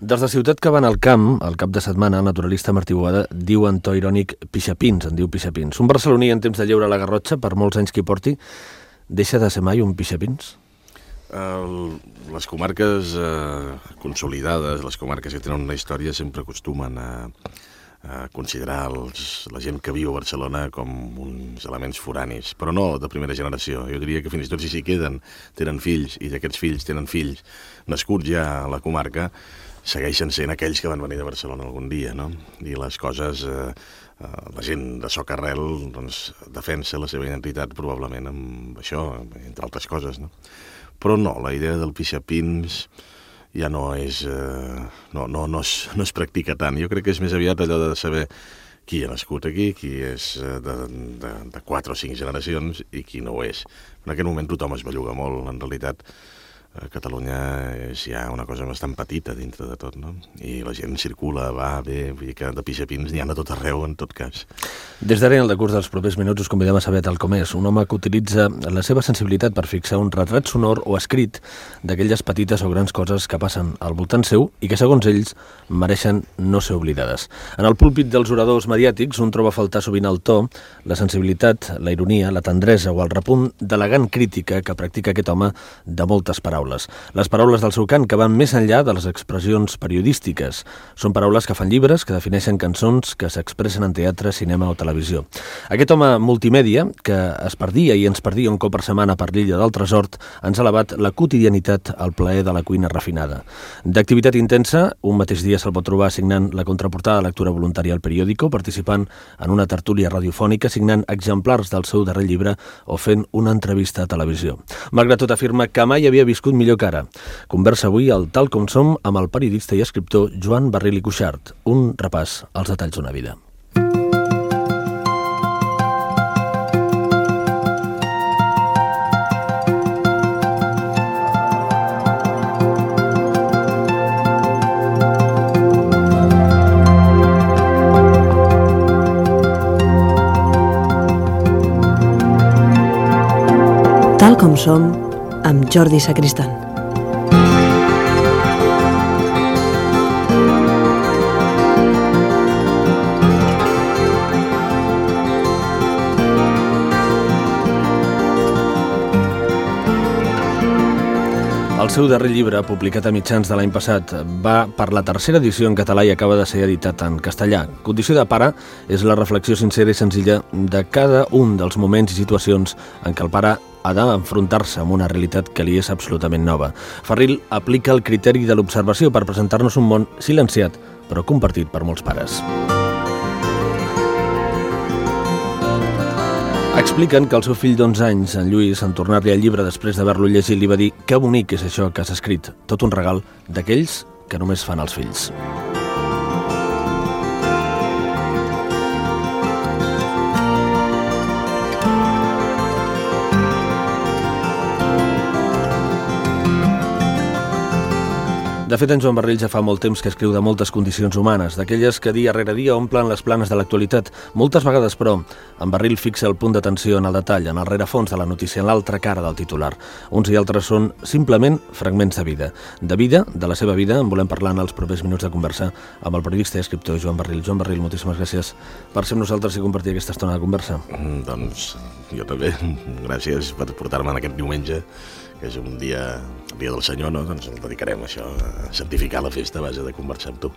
Des de Ciutat que van al camp, al cap de setmana, el naturalista Martí Boada diu en to irònic pixapins, en diu pixapins. Un barceloní en temps de lleure a la Garrotxa, per molts anys que hi porti, deixa de ser mai un pixapins? Les comarques consolidades, les comarques que tenen una història, sempre acostumen a considerar la gent que viu a Barcelona com uns elements foranis, però no de primera generació. Jo diria que fins i tot si s'hi queden, tenen fills, i d'aquests fills tenen fills nascuts ja a la comarca, segueixen sent aquells que van venir de Barcelona algun dia, no? I les coses, la gent de soc arrel doncs, defensa la seva identitat probablement amb això, entre altres coses, no? Però no, la idea del pixapins ja no es practica tant. Jo crec que és més aviat allò de saber qui ha nascut aquí, qui és de 4 o 5 generacions i qui no ho és. En aquest moment tothom es belluga molt, en realitat. A Catalunya és ja una cosa bastant petita dintre de tot, no? I la gent circula, va, ve, vull dir que de pixapins n'hi ha de tot arreu, en tot cas. Des d'ara, en el decurs dels propers minuts, us convidem a saber tal com és. Un home que utilitza la seva sensibilitat per fixar un retrat sonor o escrit d'aquelles petites o grans coses que passen al voltant seu i que, segons ells, mereixen no ser oblidades. En el púlpit dels oradors mediàtics, un troba a faltar sovint el to, la sensibilitat, la ironia, la tendresa o el repunt d'elegant crítica que practica aquest home de moltes paraules. Les paraules del seu cant que van més enllà de les expressions periodístiques. Són paraules que fan llibres, que defineixen cançons, que s'expressen en teatre, cinema o televisió. Aquest home multimèdia, que es perdia i ens perdia un cop per setmana per l'illa del Tresort, ens ha elevat la quotidianitat al plaer de la cuina refinada. D'activitat intensa, un mateix dia se'l pot trobar signant la contraportada de lectura voluntària al periòdico, participant en una tertúlia radiofònica, signant exemplars del seu darrer llibre o fent una entrevista a televisió. Malgrat tot, afirma que mai havia viscut millor que ara. Conversa avui al Tal com som amb el periodista i escriptor Joan Barril i Cuixart. Un repàs als detalls d'una vida. Tal com som, amb Jordi Sacristán. El seu darrer llibre, publicat a mitjans de l'any passat, va per la tercera edició en català i acaba de ser editat en castellà. Condició de pare és la reflexió sincera i senzilla de cada un dels moments i situacions en què el pare ha d'enfrontar-se amb una realitat que li és absolutament nova. Barril aplica el criteri de l'observació per presentar-nos un món silenciat, però compartit per molts pares. Expliquen que el seu fill d'11 anys, en Lluís, en tornar-li el llibre després d'haver-lo llegit, li va dir «Que bonic és això que has escrit, tot un regal d'aquells que només fan els fills». De fet, en Joan Barril ja fa molt temps que escriu de moltes condicions humanes, d'aquelles que dia rere dia omplen les planes de l'actualitat. Moltes vegades, però, en Barril fixa el punt d'atenció en el detall, en el rerefons de la notícia, en l'altra cara del titular. Uns i altres són simplement fragments de vida. De vida, de la seva vida, en volem parlar en els propers minuts de conversa amb el periodista i escriptor Joan Barril. Joan Barril, moltíssimes gràcies per ser amb nosaltres i compartir aquesta estona de conversa. Doncs jo també. Gràcies per portar-me en aquest diumenge, que és un dia, el dia del Senyor, no? Doncs el dedicarem a això, a santificar la festa a base de conversar amb tu.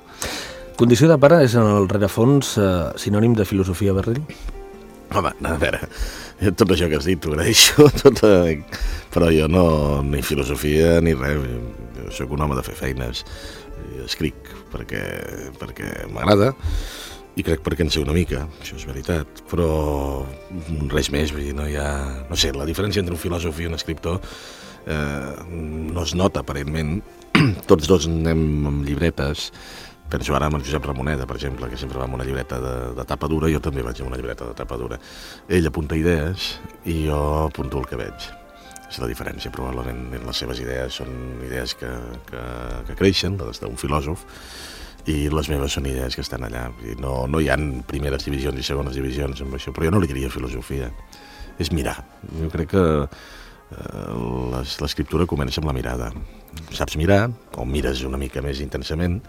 Condició de pare és en el rerefons sinònim de filosofia, Barril? Home, a veure, tot això que has dit t'ho agraeixo, però jo no, ni filosofia ni res, jo soc un home de fer feines, escric perquè m'agrada i crec perquè en sé una mica, això és veritat, però res més, vull dir, no hi ha... No sé, la diferència entre un filòsof i un escriptor no es nota aparentment. Tots dos anem amb llibretes. Penso ara amb el Josep Ramoneda, per exemple, que sempre va amb una llibreta de tapa dura, jo també vaig amb una llibreta de tapa dura. Ell apunta idees i jo apunto el que veig. És la diferència, probablement. Les seves idees són idees que creixen, les d'un filòsof, i les meves són idees que estan allà. No hi ha primeres divisions i segones divisions amb això, però jo no li diria filosofia. És mirar. Jo crec que l'escriptura comença amb la mirada. Saps mirar, o mires una mica més intensament,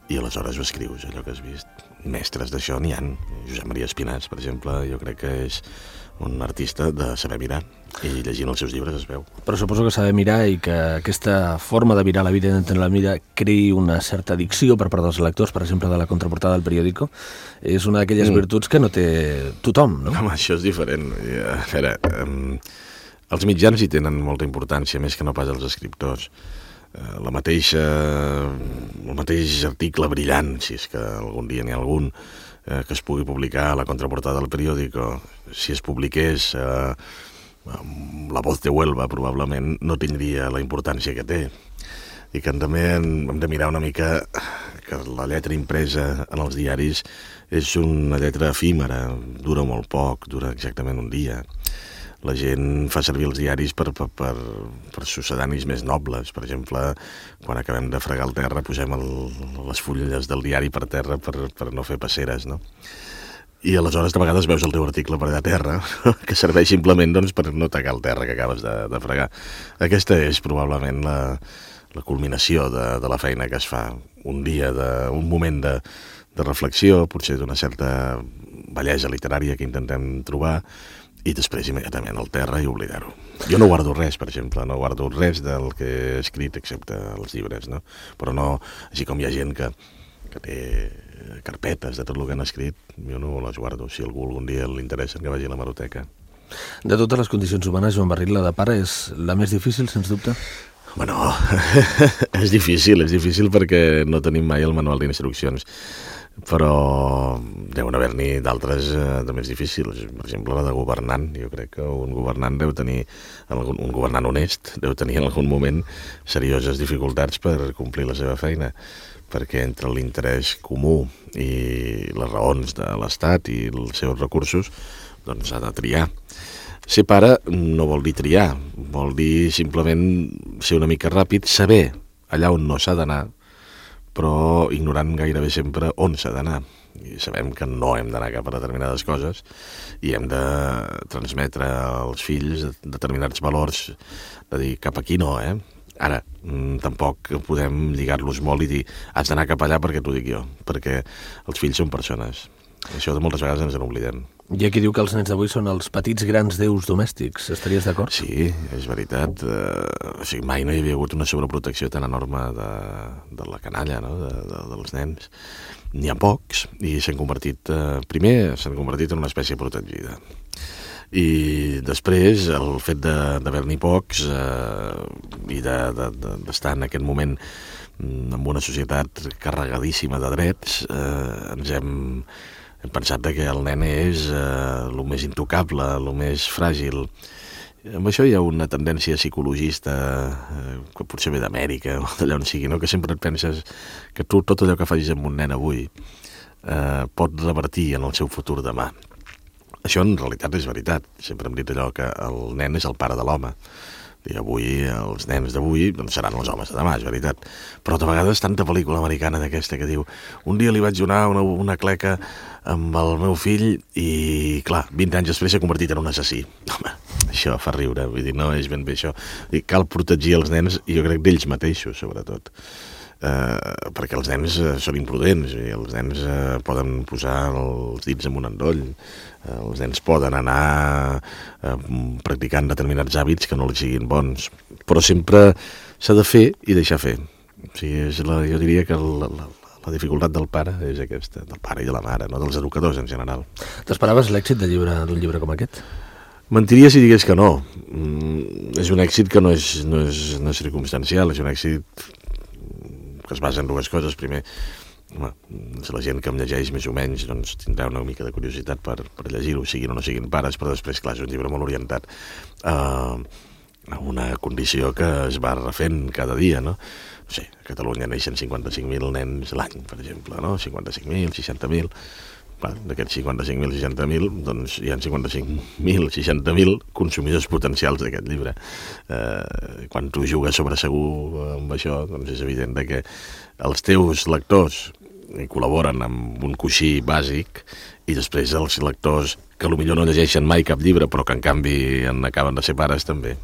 i aleshores ho escrius, allò que has vist. Mestres d'això n'hi ha. Josep Maria Espinàs, per exemple, jo crec que és un artista de saber mirar, i llegint els seus llibres es veu. Però suposo que saber mirar i que aquesta forma de mirar la vida i d'entendre la vida creï una certa addicció per part dels lectors, per exemple, de la contraportada del periòdico, és una d'aquelles virtuts que no té tothom, no? Home, això és diferent. A veure, els mitjans hi tenen molta importància, més que no pas els escriptors. El mateix article brillant, si és que algun dia n'hi ha algun, que es pugui publicar a la contraportada del periòdico, si es publiqués La Voz de Huelva, probablement no tindria la importància que té. I que també hem de mirar una mica que la lletra impresa en els diaris és una lletra efímera, dura molt poc, dura exactament un dia. La gent fa servir els diaris per succedanis més nobles. Per exemple, quan acabem de fregar el terra, posem les fulles del diari per terra per no fer passeres, no? I aleshores de vegades veus el teu article per allà a terra, que serveix simplement per no tacar el terra que acabes de fregar. Aquesta és probablement la culminació de la feina que es fa. Un dia, un moment de reflexió, potser d'una certa bellesa literària que intentem trobar, i després immediatament al terra i oblidar-ho. Jo no guardo res, per exemple, no guardo res del que he escrit excepte els llibres, no? Però no, així com hi ha gent que té carpetes de tot el que han escrit, jo no les guardo. Si algú algun dia l'interessa, que vagi a l'hemeroteca. De totes les condicions humanes, Joan Barrit, la de pare és la més difícil, sens dubte? Bueno, és difícil perquè no tenim mai el manual d'instruccions. Però deuen haver-n'hi d'altres de més difícils. Per exemple, la de governant. Jo crec que un governant deu tenir, un governant honest, deu tenir en algun moment serioses dificultats per complir la seva feina, perquè entre l'interès comú i les raons de l'Estat i els seus recursos, doncs ha de triar. Ser pare no vol dir triar, vol dir simplement ser una mica ràpid, saber allà on no s'ha d'anar, però ignorant gairebé sempre on s'ha d'anar. I sabem que no hem d'anar cap a determinades coses i hem de transmetre als fills determinats valors, de dir cap aquí no, Ara, tampoc podem lligar-los molt i dir has d'anar cap allà perquè t'ho dic jo, perquè els fills són persones. Això de moltes vegades ens n'oblidem. Hi ha qui diu que els nens d'avui són els petits grans déus domèstics. Estaries d'acord? Sí, és veritat. Mai no hi havia hagut una sobreprotecció tan enorme de la canalla, no? Dels nens. N'hi ha pocs i s'han convertit en una espècie protegida. I després el fet d'haver-n'hi pocs i d'estar en aquest moment en una societat carregadíssima de drets, ens hem pensat que el nen és el més intocable, el més fràgil. Amb això hi ha una tendència psicologista que potser ve d'Amèrica o d'allà on sigui, no? Que sempre et penses que tu tot allò que facis amb un nen avui pot revertir en el seu futur demà. Això en realitat és veritat. Sempre hem dit allò que el nen és el pare de l'home. I avui, els nens d'avui seran els homes de demà, és veritat. Però de vegades tanta pel·lícula americana d'aquesta que diu un dia li vaig donar una cleca amb el meu fill i, clar, 20 anys després s'ha convertit en un assassí. Home, això fa riure, vull dir, no és ben bé això. I cal protegir els nens, i jo crec d'ells mateixos, sobretot. Perquè els nens són imprudents i els nens poden posar els dits en un endoll, els nens poden anar practicant determinats hàbits que no els siguin bons, però sempre s'ha de fer i deixar fer. O sigui, jo diria que la dificultat del pare és aquesta, del pare i de la mare, no? Dels educadors en general. T'esperaves l'èxit d'un llibre com aquest? Mentiria si digués que no. És un èxit que no és circumstancial, és un èxit que es basa en dues coses. Primer, la gent que em llegeix més o menys doncs, tindrà una mica de curiositat per llegir-ho, siguin o no siguin pares, però després, clar, és un llibre molt orientat a una condició que es va refent cada dia, no? Sí, a Catalunya neixen 55.000 nens l'any, per exemple, no? 55.000, 60.000... D'aquests 55.000, 60.000, doncs hi ha 55.000, 60.000 consumidors potencials d'aquest llibre. Quan tu jugues sobre segur amb això, doncs és evident que els teus lectors col·laboren amb un coixí bàsic i després els lectors que potser no llegeixen mai cap llibre però que en canvi en acaben de ser pares també.